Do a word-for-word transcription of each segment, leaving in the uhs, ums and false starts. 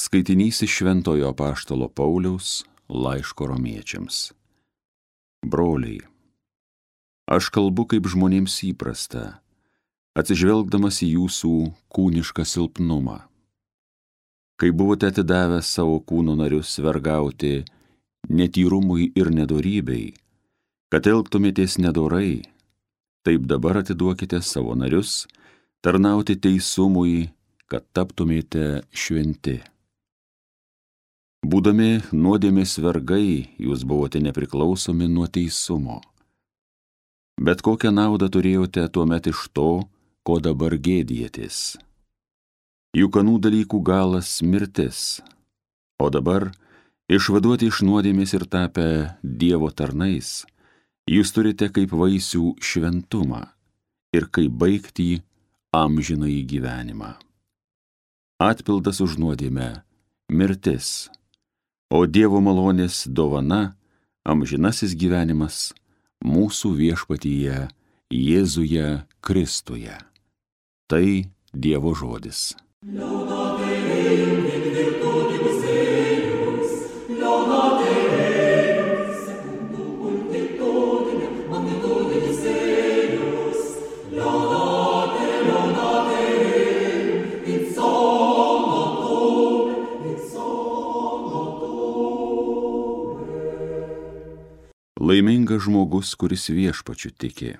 Skaitinys iš Šventojo apaštalo Pauliaus laiško romiečiams. Broliai, aš kalbu kaip žmonėms įprasta, atsižvelgdamas į jūsų kūnišką silpnumą. Kai buvote atidavę savo kūno narius vergauti netyrumui ir nedorybei, kad elgtumėtės nedorai, taip dabar atiduokite savo narius tarnauti teisumui, kad taptumėte šventi. Būdami nuodėmės vergai, jūs buvote nepriklausomi nuo teisumo. Bet kokią naudą turėjote tuomet iš to, ko dabar gėdijatės? Juk anų dalykų galas mirtis, o dabar, išvaduoti iš nuodėmės ir tapę Dievo tarnais, jūs turite kaip vaisių šventumą ir kaip baigtį amžinąjį gyvenimą. Atpildas už nuodėmę – mirtis, o Dievo malonės dovana – amžinasis gyvenimas mūsų viešpatyje Jėzuje Kristuje. Tai Dievo žodis. Laimingas žmogus, kuris viešpačiu tiki.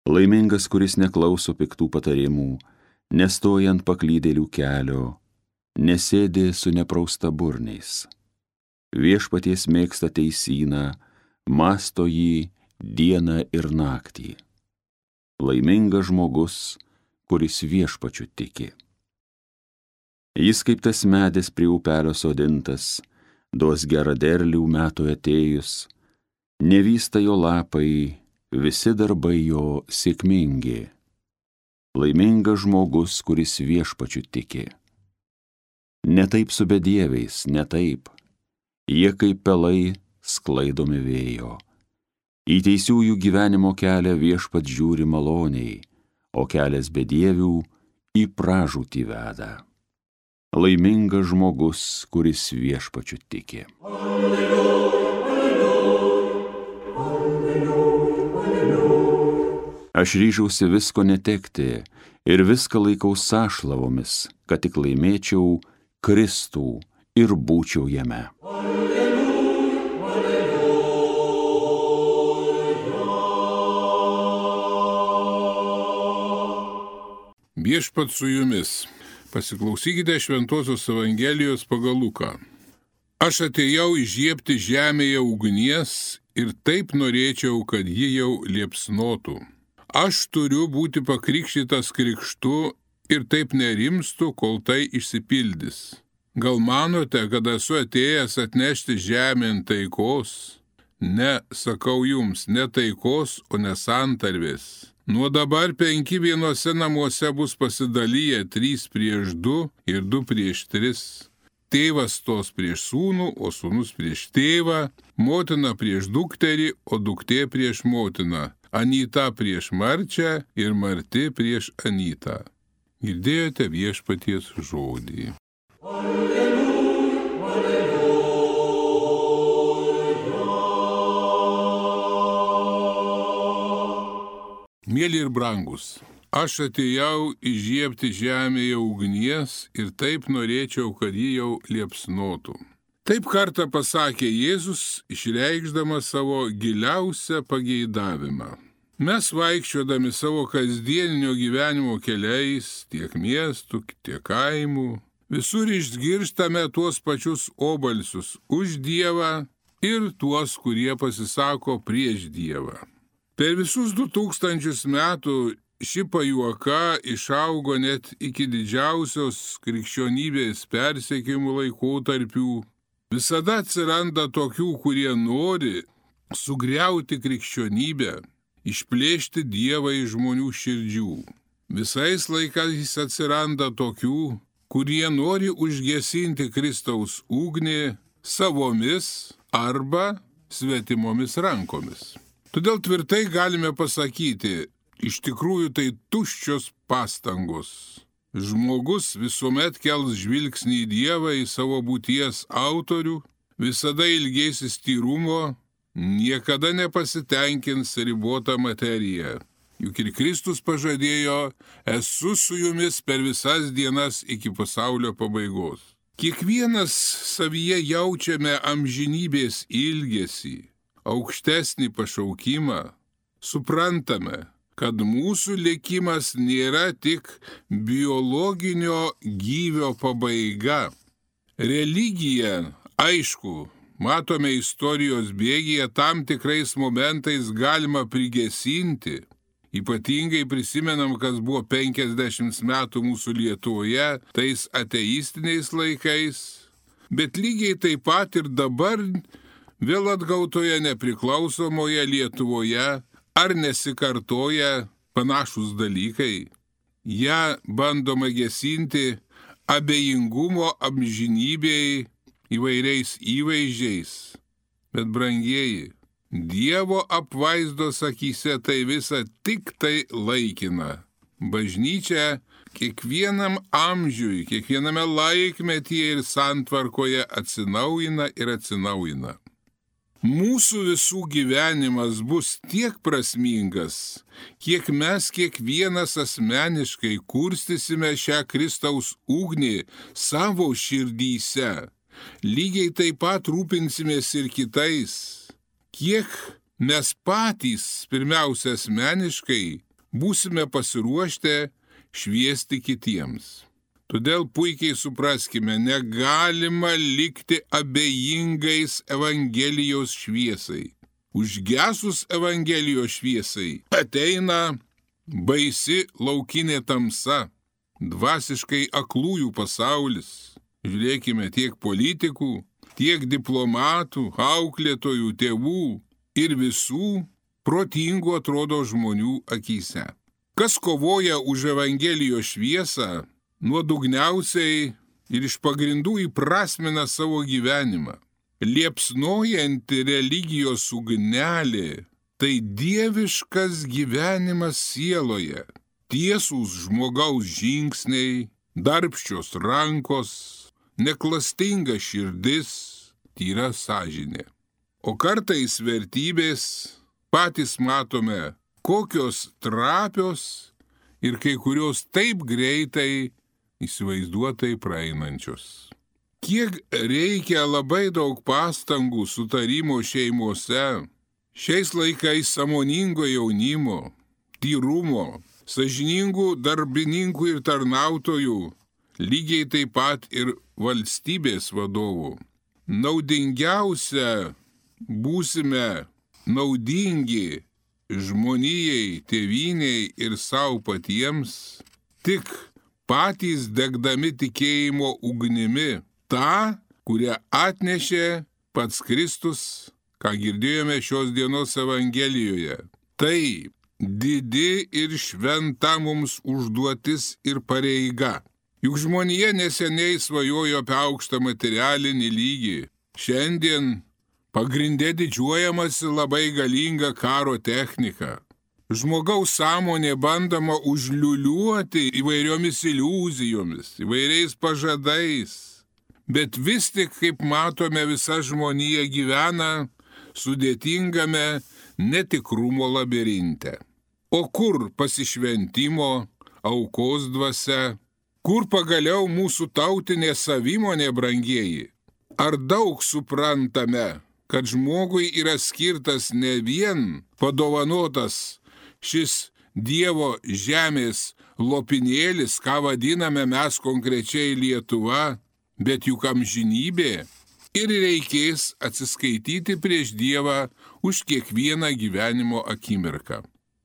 Laimingas, kuris neklauso piktų patarimų, nestoja ant paklydėlių kelio, nesėdi su nepraustaburniais. Viešpaties mėgsta teisyną, mąsto jį dieną ir naktį. Laimingas žmogus, kuris viešpačiu tiki. Jis kaip tas medis prie upelio sodintas, duos gerą derlių metų atėjus, nevysta jo lapai, visi darbai jo sėkmingi. Laimingas žmogus, kuris viešpačiu tiki. Ne taip su bedieviais, ne taip. Jie kaip pelai sklaidomi vėjo. Į teisiųjų gyvenimo kelią viešpat žiūri maloniai, o kelias bedievių į pražūtį veda. Laimingas žmogus, kuris viešpačiu tiki. Alleluja, alleluja, alleluja, alleluja. Aš ryžausi visko netekti ir viską laikau sąšlavomis, kad tik laimėčiau Kristų ir būčiau jame. Alleluja, alleluja. Viešpat su jumis. Pasiklausykite Šventosios Evangelijos pagal Luką. Aš atėjau įžiebti žemėje ugnies ir taip norėčiau, kad ji jau liepsnotų. Aš turiu būti pakrikštytas krikštu ir taip nerimstu, kol tai išsipildys. Gal manote, kad esu atėjęs atnešti žemėn taikos? Ne, sakau jums, ne taikos, o ne santarvės. Nuo dabar penki vienose namuose bus pasidalyję trys prieš du ir du prieš tris. Tėvas stos prieš sūnų, o sūnus prieš tėvą, motina prieš dukterį, o duktė prieš motiną, anyta prieš marčią ir marti prieš anytą. Girdėjote viešpaties žodį. Alleluja, alleluja. Mėly ir brangus, aš atėjau įžiebti žemėje ugnies ir taip norėčiau, kad ji jau liepsnotų. Taip kartą pasakė Jėzus, išreikšdamas savo giliausią pageidavimą. Mes vaikščiodami savo kasdieninio gyvenimo keliais, tiek miestų, tiek kaimų, visur išgirstame tuos pačius obalsius už Dievą ir tuos, kurie pasisako prieš Dievą. Per visus du tūkstančius metų ši pajuoka išaugo net iki didžiausios krikščionybės persekiojimų laikotarpių. Visada atsiranda tokių, kurie nori sugriauti krikščionybę, išplėšti Dievą iš žmonių širdžių. Visais laikais atsiranda tokių, kurie nori užgesinti Kristaus ugnį savomis arba svetimomis rankomis. Todėl tvirtai galime pasakyti, iš tikrųjų tai tuščios pastangos. Žmogus visuomet kels žvilgsnį į Dievą, į savo būties autorių, visada ilgėsis tyrumo, niekada nepasitenkins ribotą materiją. Juk ir Kristus pažadėjo, esu su jumis per visas dienas iki pasaulio pabaigos. Kiekvienas savyje jaučiame amžinybės ilgesį, aukštesnį pašaukimą, suprantame, kad mūsų likimas nėra tik biologinio gyvio pabaiga. Religija, aišku, matome istorijos bėgyje, tam tikrais momentais galima prigesinti. Ypatingai prisimenam, kas buvo penkiasdešimt metų mūsų Lietuvoje, tais ateistiniais laikais. Bet lygiai taip pat ir dabar vėl atgautoje nepriklausomoje Lietuvoje ar nesikartoja panašus dalykai. Ja bandoma gesinti abejingumo amžinybei įvairiais įvaizdžiais. Bet brangieji, Dievo apvaizdos akyse tai visa tik tai laikina. Bažnyčia kiekvienam amžiui, kiekviename laikmetyje ir santvarkoje atsinaujina ir atsinaujina. Mūsų visų gyvenimas bus tiek prasmingas, kiek mes kiekvienas asmeniškai kurstysime šią Kristaus ugnį savo širdyse. Lygiai taip pat rūpinsimės ir kitais. Kiek mes patys, pirmiausia asmeniškai, būsime pasiruošę šviesti kitiems. Todėl puikiai supraskime, negalima likti abejingais Evangelijos šviesai. Užgesus Evangelijos šviesai ateina baisi laukinė tamsa, dvasiškai aklųjų pasaulis. Žiūrėkime tiek politikų, tiek diplomatų, auklėtojų, tėvų ir visų protingų atrodo žmonių akyse. Kas kovoja už Evangelijos šviesą, nuodugniausiai ir iš pagrindų įprasmina savo gyvenimą. Liepsnojanti religijos ugnelė – tai dieviškas gyvenimas sieloje, tiesūs žmogaus žingsniai, darbščios rankos, neklastinga širdis, tyra sąžinė. O kartais vertybės patys matome, kokios trapios ir kai kurios taip greitai įsivaizduotai praeinančios. Kiek reikia labai daug pastangų sutarimo šeimose, šiais laikais sąmoningo jaunimo, tyrumo, sąžiningų darbininkų ir tarnautojų, lygiai taip pat ir valstybės vadovų. Naudingiausia būsime naudingi žmonijai, tėvynei ir savo patiems, tik patys degdami tikėjimo ugnimi, tą, kurią atnešė pats Kristus, ką girdėjome šios dienos Evangelijoje. Tai didi ir šventa mums užduotis ir pareiga. Juk žmonija neseniai svajojo apie aukštą materialinį lygį. Šiandien pagrindė didžiuojamasi labai galinga karo technika. Žmogaus sąmonė bandoma užliuliuoti įvairiomis iliuzijomis, įvairiais pažadais. Bet vis tik, kaip matome, visa žmonija gyvena sudėtingame netikrumo labirinte. O kur pasišventimo, aukos dvasia? Kur pagaliau mūsų tautinė savimonė, brangieji? Ar daug suprantame, kad žmogui yra skirtas ne vien padovanotas šis Dievo žemės lopinėlis, ką vadiname mes konkrečiai Lietuva, bet juk amžinybė, ir reikės atsiskaityti prieš Dievą už kiekvieną gyvenimo akimirką.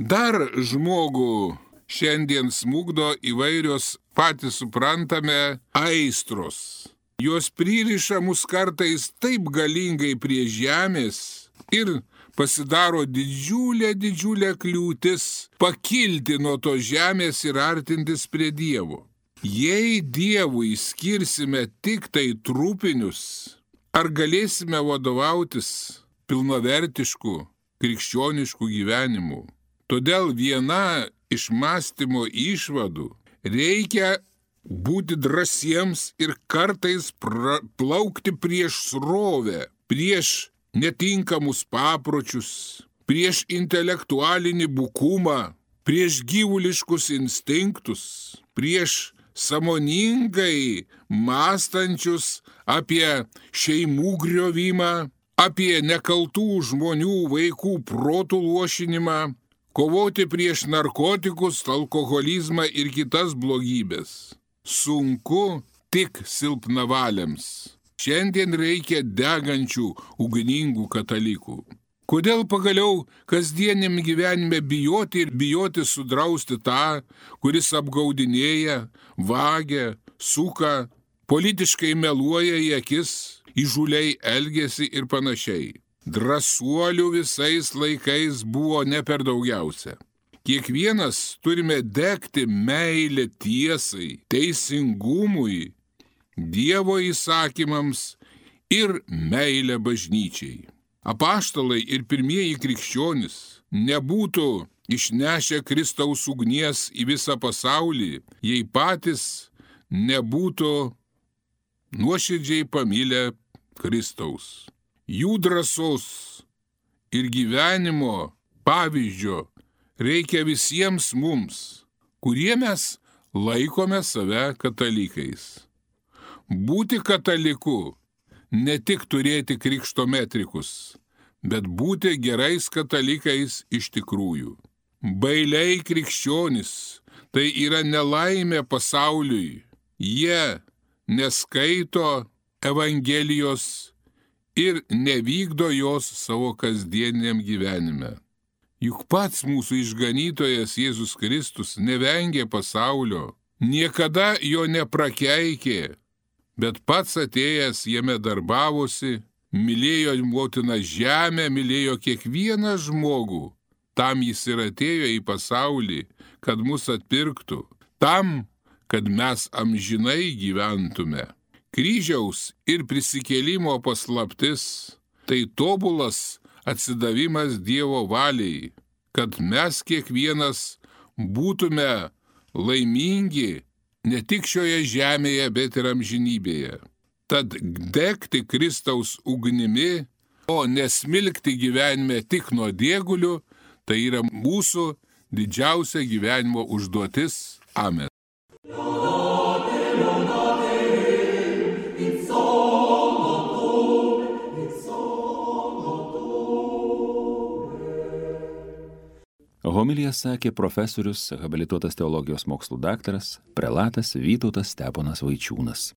Dar žmogų šiandien smugdo įvairios patys suprantame aistros. Jos pririša mus kartais taip galingai prie žemės ir pasidaro didžiulė, didžiulė kliūtis pakilti nuo to žemės ir artintis prie Dievo. Jei Dievui skirsime tik tai trupinius, ar galėsime vadovautis pilnavertišku krikščionišku gyvenimu? Todėl viena iš mąstymo išvadų: reikia būti drąsiems ir kartais pra, plaukti prieš srovę, prieš netinkamus papročius, prieš intelektualinį bukumą, prieš gyvuliškus instinktus, prieš sąmoningai mąstančius apie šeimų griovimą, apie nekaltų žmonių vaikų protų luošinimą, kovoti prieš narkotikus, alkoholizmą ir kitas blogybės. Sunku tik silpnavaliams. Šiandien reikia degančių, ugningų katalikų. Kodėl pagaliau kasdieniam gyvenime bijoti ir bijoti sudrausti tą, kuris apgaudinėja, vagia, suka, politiškai meluoja į akis, įžūliai elgiasi ir panašiai. Drąsuolių visais laikais buvo ne per daugiausia. Kiekvienas turime degti meilę tiesai, teisingumui, Dievo įsakymams ir meilę bažnyčiai. Apaštalai ir pirmieji krikščionys nebūtų išnešę Kristaus ugnies į visą pasaulį, jei patys nebūtų nuoširdžiai pamilę Kristaus. Jų drąsos ir gyvenimo pavyzdžio reikia visiems mums, kurie mes laikome save katalikais. Būti kataliku ne tik turėti krikšto metrikus, bet būti gerais katalikais iš tikrųjų. Bailiai krikščionys tai yra nelaimė pasauliui. Jie neskaito Evangelijos ir nevykdo jos savo kasdieniam gyvenime. Juk pats mūsų išganytojas Jėzus Kristus nevengė pasaulio, niekada jo neprakeikė, bet pats atėjęs jame darbavosi, mylėjo motiną žemę, mylėjo kiekvieną žmogų. Tam jis ir atėjo į pasaulį, kad mus atpirktų, tam, kad mes amžinai gyventume. Kryžiaus ir prisikėlimo paslaptis – tai tobulas atsidavimas Dievo valiai, kad mes kiekvienas būtume laimingi ne tik šioje žemėje, bet ir amžinybėje. Tad degti Kristaus ugnimi, o nesmilkti gyvenime tik nuo diegulių, tai yra mūsų didžiausia gyvenimo užduotis. Amen. Homiliją sakė profesorius, habilituotas teologijos mokslų daktaras, prelatas Vytautas Steponas Vaičiūnas.